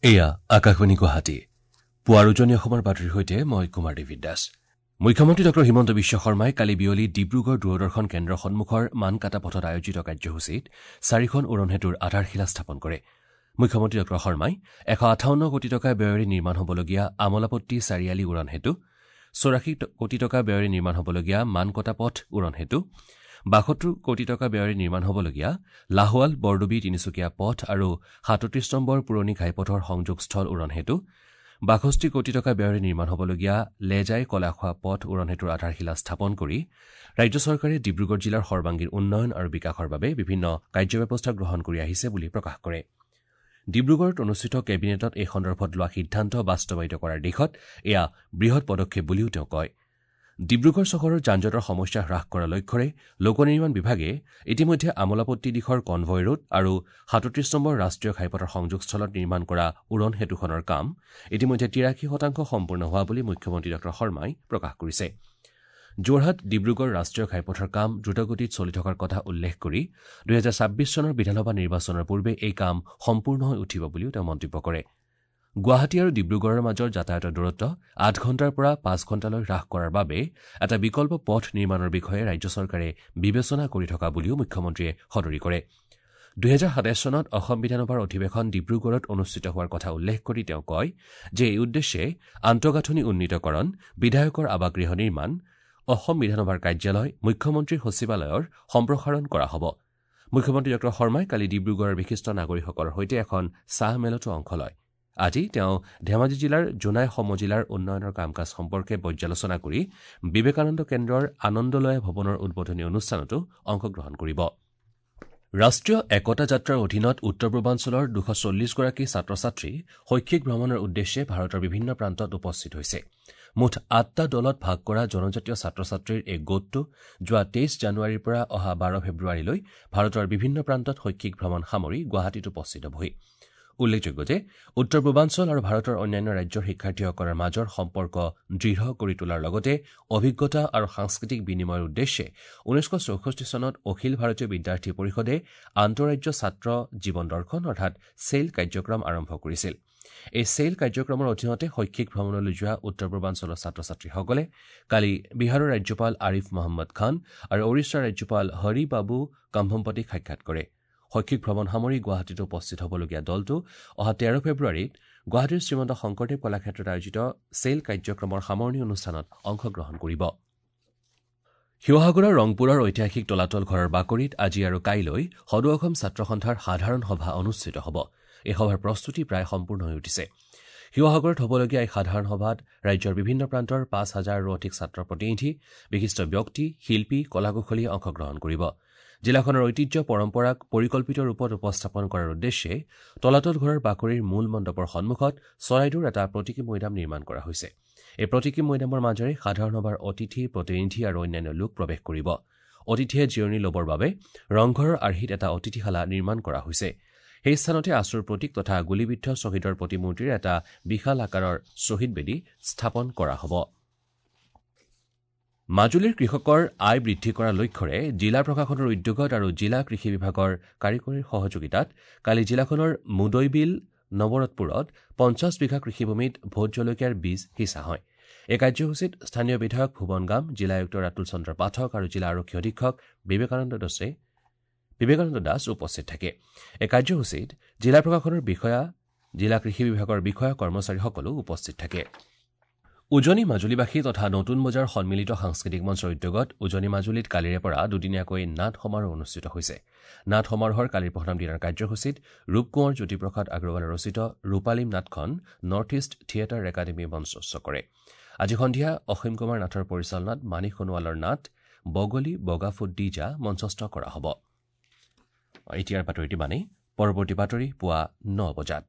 এয়া আকাশবাণী গুৱাহাটী। পুৱাৰ উজনি অসমৰ বাতৰিৰ সৈতে মই কুমাৰ ডেভিড দাস। মুখ্যমন্ত্ৰী ডঃ হিমন্ত বিশ্ব শৰ্মাই কালি বিয়লি ডিব্ৰুগড় দূৰদৰ্শন কেন্দ্ৰৰ সন্মুখৰ মানকাটা পথত আয়োজিত কাৰ্যসূচীত চাৰিখন উৰণ সেতুৰ আধাৰশিলা স্থাপন কৰে। মুখ্যমন্ত্ৰী ডঃ শৰ্মাই ১৫৮ কোটি টকা ব্যয়েৰে নিৰ্মাণ হ'বলগীয়া আমোলাপট্টি চাৰিআলি উৰণ সেতু, ৮৪ কোটি টকা ব্যয়েৰে নিৰ্মাণ হ'বলগীয়া মানকটা পথ উৰণ সেতু, ৭২ কোটি টকা ব্যয়েৰে নিৰ্মাণ হ'বলগীয়া লাহোৱাল বৰডুবি তিনিচুকীয়া পথ আৰু ৩৭ নম্বৰ পুৰণি ঘাইপথৰ সংযোগস্থল উৰণ সেতু, ৬২ কোটি টকা ব্যয়েৰে নিৰ্মাণ হ'বলগীয়া লেজাই কলাখোৱা পথ উৰণ সেতুৰ আধাৰশিলা স্থাপন কৰি ৰাজ্য চৰকাৰে ডিব্ৰুগড় জিলাৰ সৰ্বাংগীন উন্নয়ন আৰু বিকাশৰ বাবে বিভিন্ন কাৰ্যব্যৱস্থা গ্ৰহণ কৰি আহিছে বুলি প্ৰকাশ কৰে। ডিব্ৰুগড়ত অনুষ্ঠিত কেবিনেটত এই সন্দৰ্ভত লোৱা সিদ্ধান্ত বাস্তৱায়িত কৰাৰ দিশত এয়া বৃহৎ পদক্ষেপ বুলিও তেওঁ কয়। ডিব্ৰুগড় চহৰৰ যানজঁটৰ সমস্যা হ্ৰাস কৰাৰ লক্ষ্যৰে লোক নিৰ্মাণ বিভাগে ইতিমধ্যে আমোলাপট্টি দিশৰ কনভয় ৰোড আৰু ৩৭ নম্বৰ ৰাষ্ট্ৰীয় ঘাইপথৰ সংযোগস্থলত নিৰ্মাণ কৰা উৰণ সেতুখনৰ কাম ইতিমধ্যে ৮৩% সম্পূৰ্ণ হোৱা বুলি মুখ্যমন্ত্ৰী ডঃ শৰ্মাই প্ৰকাশ কৰিছে। যোৰহাট ডিব্ৰুগড় ৰাষ্ট্ৰীয় ঘাইপথৰ কাম দ্ৰুতগতিত চলি থকাৰ কথা উল্লেখ কৰি ২০২৬ চনৰ বিধানসভা নিৰ্বাচনৰ পূৰ্বে এই কাম সম্পূৰ্ণ হৈ উঠিব বুলিও তেওঁ মন্তব্য কৰে। গুৱাহাটী আৰু ডিব্ৰুগড়ৰ মাজৰ যাতায়াতৰ দূৰত্ব ৮ ঘণ্টাৰ পৰা ৫ ঘণ্টালৈ হ্ৰাস কৰাৰ বাবে এটা বিকল্প পথ নিৰ্মাণৰ বিষয়ে ৰাজ্য চৰকাৰে বিবেচনা কৰি থকা বুলিও মুখ্যমন্ত্ৰীয়ে সদৰি কৰে। ২০২৭ চনত অসম বিধানসভাৰ অধিৱেশন ডিব্ৰুগড়ত অনুষ্ঠিত হোৱাৰ কথা উল্লেখ কৰি তেওঁ কয় যে এই উদ্দেশ্যে আন্তঃগাঁথনি উন্নীতকৰণ, বিধায়কৰ আৱাসগৃহ নিৰ্মাণ, অসম বিধানসভাৰ কাৰ্যালয়, মুখ্যমন্ত্ৰীৰ সচিবালয়ৰ সম্প্ৰসাৰণ কৰা হ'ব। মুখ্যমন্ত্ৰী ডঃ শৰ্মাই কালি ডিব্ৰুগড়ৰ বিশিষ্ট নাগৰিকসকলৰ সৈতে এখন চাহ মেলতো অংশ লয়। আজি তেওঁ ধেমাজি জিলাৰ জোনাই সমজিলাৰ উন্নয়নৰ কাম কাজ সম্পৰ্কে পৰ্যালোচনা কৰি বিবেকানন্দ কেন্দ্ৰৰ আনন্দলয়া ভৱনৰ উদ্বোধনী অনুষ্ঠানতো অংশগ্ৰহণ কৰিব। ৰাষ্ট্ৰীয় একতা যাত্ৰাৰ অধীনত উত্তৰ পূৰ্বাঞ্চলৰ ২৪০ গৰাকী ছাত্ৰ ছাত্ৰী শৈক্ষিক ভ্ৰমণৰ উদ্দেশ্যে ভাৰতৰ বিভিন্ন প্ৰান্তত উপস্থিত হৈছে। মুঠ ৮টা দলত ভাগ কৰা জনজাতীয় ছাত্ৰ ছাত্ৰীৰ এই গোটটো যোৱা ২৩ জানুৱাৰীৰ পৰা অহা ১২ ফেব্ৰুৱাৰীলৈ ভাৰতৰ বিভিন্ন প্ৰান্তত শৈক্ষিক ভ্ৰমণ সামৰি গুৱাহাটীত উপস্থিত হ'বহি। উল্লেখযোগ্য যে উত্তৰ পূৰ্বাঞ্চল আৰু ভাৰতৰ অন্যান্য ৰাজ্যৰ শিক্ষাৰ্থীসকলৰ মাজৰ সম্পৰ্ক দৃঢ় কৰি তোলাৰ লগতে অভিজ্ঞতা আৰু সাংস্কৃতিক বিনিময়ৰ উদ্দেশ্যে ১৯৬৪ চনত অখিল ভাৰতীয় বিদ্যাৰ্থী পৰিষদে আন্তঃৰাজ্য ছাত্ৰ জীৱন দৰ্শন অৰ্থাৎ চেইল কাৰ্যক্ৰম আৰম্ভ কৰিছিল। এই চেইল কাৰ্যক্ৰমৰ অধীনতে শৈক্ষিক ভ্ৰমণলৈ যোৱা উত্তৰ পূৰ্বাঞ্চলৰ ছাত্ৰ ছাত্ৰীসকলে কালি বিহাৰৰ ৰাজ্যপাল আৰিফ মহম্মদ খান আৰু ওড়িশাৰ ৰাজ্যপাল হৰি বাবু কম্ভমপতিক সাক্ষাৎ কৰে। শৈক্ষিক ভ্ৰমণ সামৰি গুৱাহাটীত উপস্থিত হ'বলগীয়া দলটো অহা ১৩ ফেব্ৰুৱাৰীত গুৱাহাটীৰ শ্ৰীমন্ত শংকৰদেৱ কলাক্ষেত্ৰত আয়োজিত চেইল কাৰ্যক্ৰমৰ সামৰণি অনুষ্ঠানত অংশগ্ৰহণ কৰিব। শিৱসাগৰৰ ৰংপুৰৰ ঐতিহাসিক তলাতল ঘৰৰ বাকৰিত আজি আৰু কাইলৈ সদৌ অসম ছাত্ৰ সন্থাৰ সাধাৰণ সভা অনুষ্ঠিত হ'ব। এই সভাৰ প্ৰস্তুতি প্ৰায় সম্পূৰ্ণ হৈ উঠিছে। শিৱসাগৰত হ'বলগীয়া এই সাধাৰণ সভাত ৰাজ্যৰ বিভিন্ন প্ৰান্তৰ ৫ হাজাৰৰো অধিক ছাত্ৰ প্ৰতিনিধি, বিশিষ্ট ব্যক্তি, শিল্পী, কলাকুশলীয়ে অংশগ্ৰহণ কৰিব। জিলাখনৰ ঐতিহ্য পৰম্পৰাক পৰিকল্পিত ৰূপত উপস্থাপন কৰাৰ উদ্দেশ্যে তলাতল ঘৰৰ বাকৰিৰ মূল মণ্ডপৰ সন্মুখত চৰাইদেউৰ এটা প্ৰতীকী মৈদাম নিৰ্মাণ কৰা হৈছে। এই প্ৰতীকী মৈদামৰ মাজেৰে সাধাৰণ সভাৰ অতিথি, প্ৰতিনিধি আৰু অন্যান্য লোক প্ৰৱেশ কৰিব। অতিথিয়ে জিৰণি ল'বৰ বাবে ৰংঘৰৰ আৰ্হিত এটা অতিথিশালা নিৰ্মাণ কৰা হৈছে। সেই স্থানতে আছুৰ প্ৰতীক তথা গুলীবিদ্ধ শ্বহীদৰ প্ৰতিমূৰ্তিৰ এটা বিশাল আকাৰৰ শ্বহীদ বেদী স্থাপন কৰা হ'ব। মাজুলীৰ কৃষকৰ আয় বৃদ্ধি কৰাৰ লক্ষ্যৰে জিলা প্ৰশাসনৰ উদ্যোগত আৰু জিলা কৃষি বিভাগৰ কাৰিকৰীৰ সহযোগিতাত কালি জিলাখনৰ মুদৈবিল নৱৰতপুৰত ৫০ বিঘা কৃষিভূমিত ভোট জলকীয়াৰ বীজ সিঁচা হয়। এই কাৰ্যসূচীত স্থানীয় বিধায়ক ভুৱন গাম, জিলা আয়ুক্ত ৰাতুল চন্দ্ৰ পাঠক আৰু জিলা আৰক্ষী অধীক্ষক বিবেকানন্দ দাস উপস্থিত থাকে। এই কাৰ্যসূচীত জিলা প্ৰশাসনৰ বিষয়া, জিলা কৃষি বিভাগৰ বিষয়া কৰ্মচাৰীসকলো উপস্থিত থাকে। উজনি মাজুলীবাসী তথা নতুন বজাৰ সন্মিলিত সাংস্কৃতিক মঞ্চৰ উদ্যোগত উজনি মাজুলীত কালিৰে পৰা দুদিনীয়াকৈ নাট সমাৰোহ অনুষ্ঠিত হৈছে। নাট সমাৰোহৰ কালিৰ প্ৰথম দিনাৰ কাৰ্যসূচীত ৰূপকোঁৱৰ জ্যোতিপ্ৰসাদ আগৰৱালা ৰচিত ৰূপালীম নাটখন নৰ্থ ইষ্ট থিয়েটাৰ একাডেমীয়ে মঞ্চস্থ কৰে। আজি সন্ধিয়া অসীম কুমাৰ নাথৰ পৰিচালনাত মানিক সোণোৱালৰ নাট বগলী বগা ফুট দি যা মঞ্চস্থ কৰা হ'ব। এতিয়াৰ বাতৰিটো ইমানেই। পৰৱৰ্তী বাতৰি পুৱা ৯ বজাত।